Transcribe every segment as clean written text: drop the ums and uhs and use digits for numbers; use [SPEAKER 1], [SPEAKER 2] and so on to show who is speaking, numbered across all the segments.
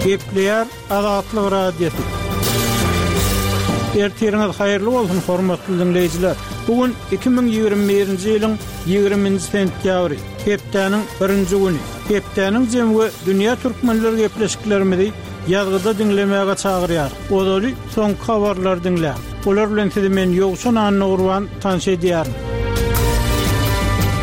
[SPEAKER 1] Gepleýär Azatlyk Radiosy. Ertiriňiz haýyrly bolsun, hormatly diňleýjiler! Bu gün 2021-nji ýylyň 20-nji sentýabry, hepdäniň birinji güni. Hepdäniň jemi we dünýä türkmenleri gepleşiklerimizi ýazgyda diňlemäge çagyrýar. Ozaly soňky habarlary diňläň. Olar bilen sizi men Ýowşan Annagurban tanyş edýärin.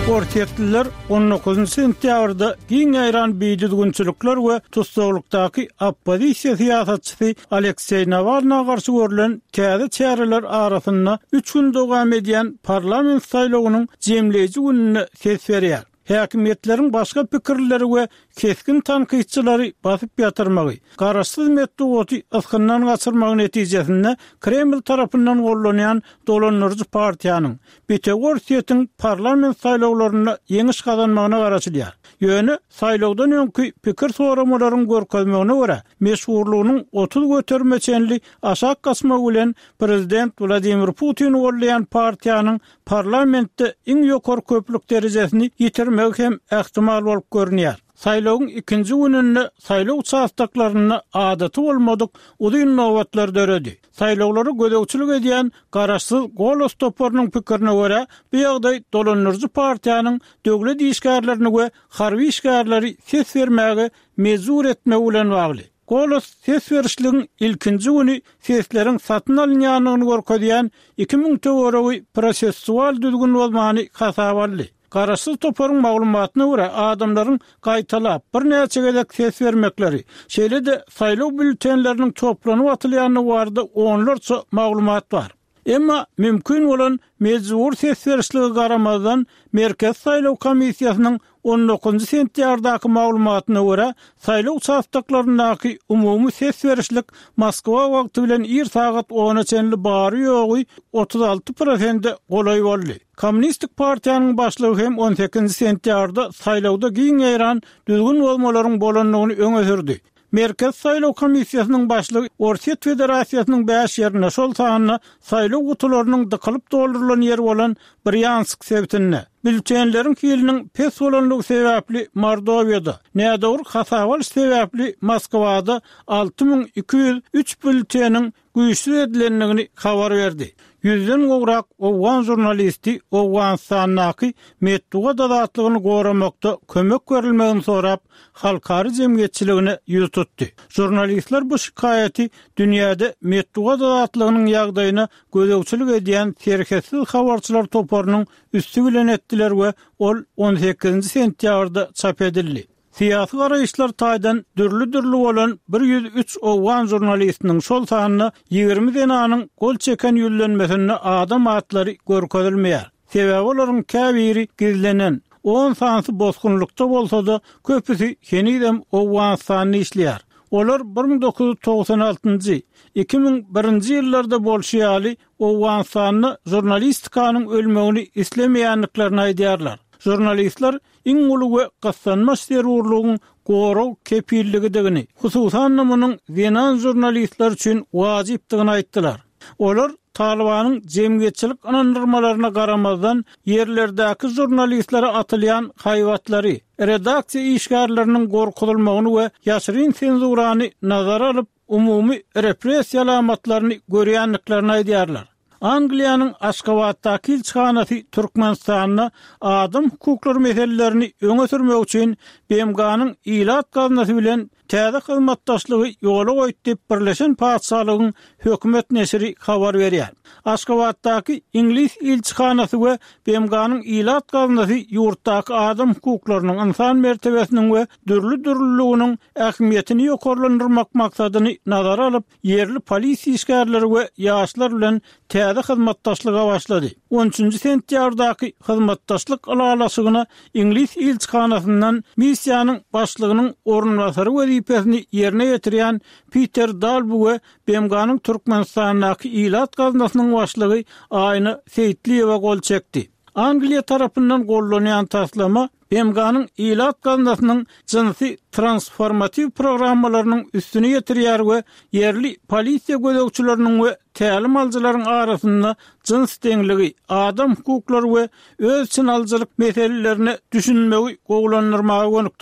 [SPEAKER 1] Orsýetliler on dokuzynjy sentýabrda giň ýaýran bidüzgünçilikler we tussaglykdaky oppozisiýa syýasatçysy Alekseý Nawalna garşy görlen täze çäreler arasynda üç gün dowam edýän parlament saýlawynyň jemleýji gününde ses berýär. Häkimiýetleriň başga pikirlileri we kesgin tankytçylary basyp ýatyrmagy, garaşsyz metbugaty ysgyndan gaçyrmagy netijesinde Kreml tarapyndan gollanýan dolandyryjy partiýanyň, Bitewi Orsýetiň parlament saýlawlarynda ýeňiş gazanmagyna garaşylýar. Ýöne saýlawdan öňki pikir soramalaryň görkezmegine görä, meşhurlygynyň 30 göterime çenli aşak gaçmagy bilen prezident Wladimir Putini goldaýan partiýanyň parlamentde iň ýokary köplük derejesini ýitirmegi hem ähtimal bolup görünýär. Saýlawyň ikinji gününde saýlaw uçastoklarynda adaty bolmadyk uzyn nobatlar döredi. Saýlawlara gözegçilik edýän garaşsyz Golos toparynyň pikirine görä, bu ýagdaý dolandyryjy partiýanyň döwlet işgärlerini we harby işgärleri ses bermäge mejbur etmegi bilen bagly. Golos ses berişligiň ilkinji güni sesleriň satyn alynýandygyny görkezýän 2000 töweregi prosessual düzgün bozmany hasaba aldy. Garaşsyz toparyň maglumatyna görä, adamlaryň gaýtalap, birnäçe gezek ses bermekleri, şeýle-de saýlaw býulletenleriniň toplanyp atylýandygy barada onlarça maglumat bar. Emma mümkin bolan mejbury ses berişlige garamazdan, Merkezi saýlaw komissiýasynyň on dokuzynjy sentýabrdaky maglumatyna görä, saýlaw uçastoklaryndaky umumy ses berişlik Moskwa wagty bilen ir sagat ona çenli bary-ýogy 36 prosente golaý boldy. Kommunistik partiýanyň başlygy hem on sekizinji sentýabrda saýlawda giň ýaýran düzgün bozmalaryň bolandygyny öňe sürdi. Merkezi saýlaw komissiýasynyň başlygy Orsýet Federasiýasynyň bäş ýerinde, şol sanda saýlaw gutularynyň dykylyp doldurylan ýeri bolan Brýansk sebitinde, býulletenleriň hiliniň pes bolanlygy sebäpli Mordowiýada, nädogry hasaba alyş sebäpli Moskwada 6203 býulleteniň güýçsüz edilendigini habar berdi. Ýüzden gowrak owgan žurnalisti Owganystandaky metbugat azatlygyny goramakda kömek berilmegini sorap, halkara jemgyýetçiligine ýüz tutdy. Žurnalistler bu şikaýaty dünýäde metbugat azatlygynyň ýagdaýyna gözegçilik edýän Serhetsiz habarçylar toparynyň üsti bilen etdiler we ol on sekizinji sentýabrda çap edildi. Syýasy garaýyşlar taýdan dürli-dürli bolan 103 owgan žurnalistiniň, şol sanda 20 zenanyň gol çeken ýüzlenmesinde adam atlary görkezilmeýär. Sebäbi olaryň käbiri gizlenen, on sanysy bosgunlykda bolsa-da, köpüsi henizem Owganystanda işleýär. Olar 1996-njy, 2001-nji ýyllarda bolşy ýaly, Owganystanda žurnalistikanyň ölmegini islemeýändiklerini aýdýarlar. Žurnalistler iň uly we gyssanmaç zerurlygyň gorag kepilligidigini, hususan-da munuň zenan žurnalistler üçin wajypdygyny aýtdylar. Olar Talybanyň jemgyýetçilik ynandyrmalaryna garamazdan, ýerlerdäki žurnalistlere atylýan haýbatlary, redaksiýa işgärleriniň gorkuzylmagyny we ýaşyryn senzurany nazara alyp, umumy repressiýa alamatlaryny görýändiklerini aýdýarlar. Angliýanyň Aşgabatdaky ilçihanasy Türkmenistanda adam hukuklary meselelerini öňe sürmek üçin BMG-niň Ilat gaznasy bilen täze hyzmatdaşlygy ýola goýdy diýip, Birleşen Patyşalygyň hökümet neşiri habar berýär. Aşgabatdaky iňlis ilçihanasy we BMG-niň Ilat gaznasy ýurtdaky adam hukuklarynyň, ynsan mertebesiniň we dürli-dürlüliginiň ähmiýetini ýokarlandyrmak maksadyny nazara alyp, ýerli polisiýa işgärleri we ýaşlar bilen täze hyzmatdaşlyga başlady. On üçünji sentýabrdaky hyzmatdaşlyk ylalaşygyna iňlis ilçihanasyndan missiýanyň başlygynyň orunbasary wezipesini ýerine ýetirýän Piter Dalbu we BMG-niň Türkmenistandaky Ilat gaznasynyň başlygy Aýna Seýitliýewa gol çekdi. Angliýa tarapyndan gollanýan taslama BMG-niň Ilat gaznasynyň jynsy transformatiw programmalarynyň üstüni ýetirýär we ýerli polisiýa gözegçileriniň we tälim alyjylaryň arasynda jyns deňligi, adam hukuklary we öz içine alyjylyk meselelerine düşünmegi gowulandyrmaga gönükdirilendir.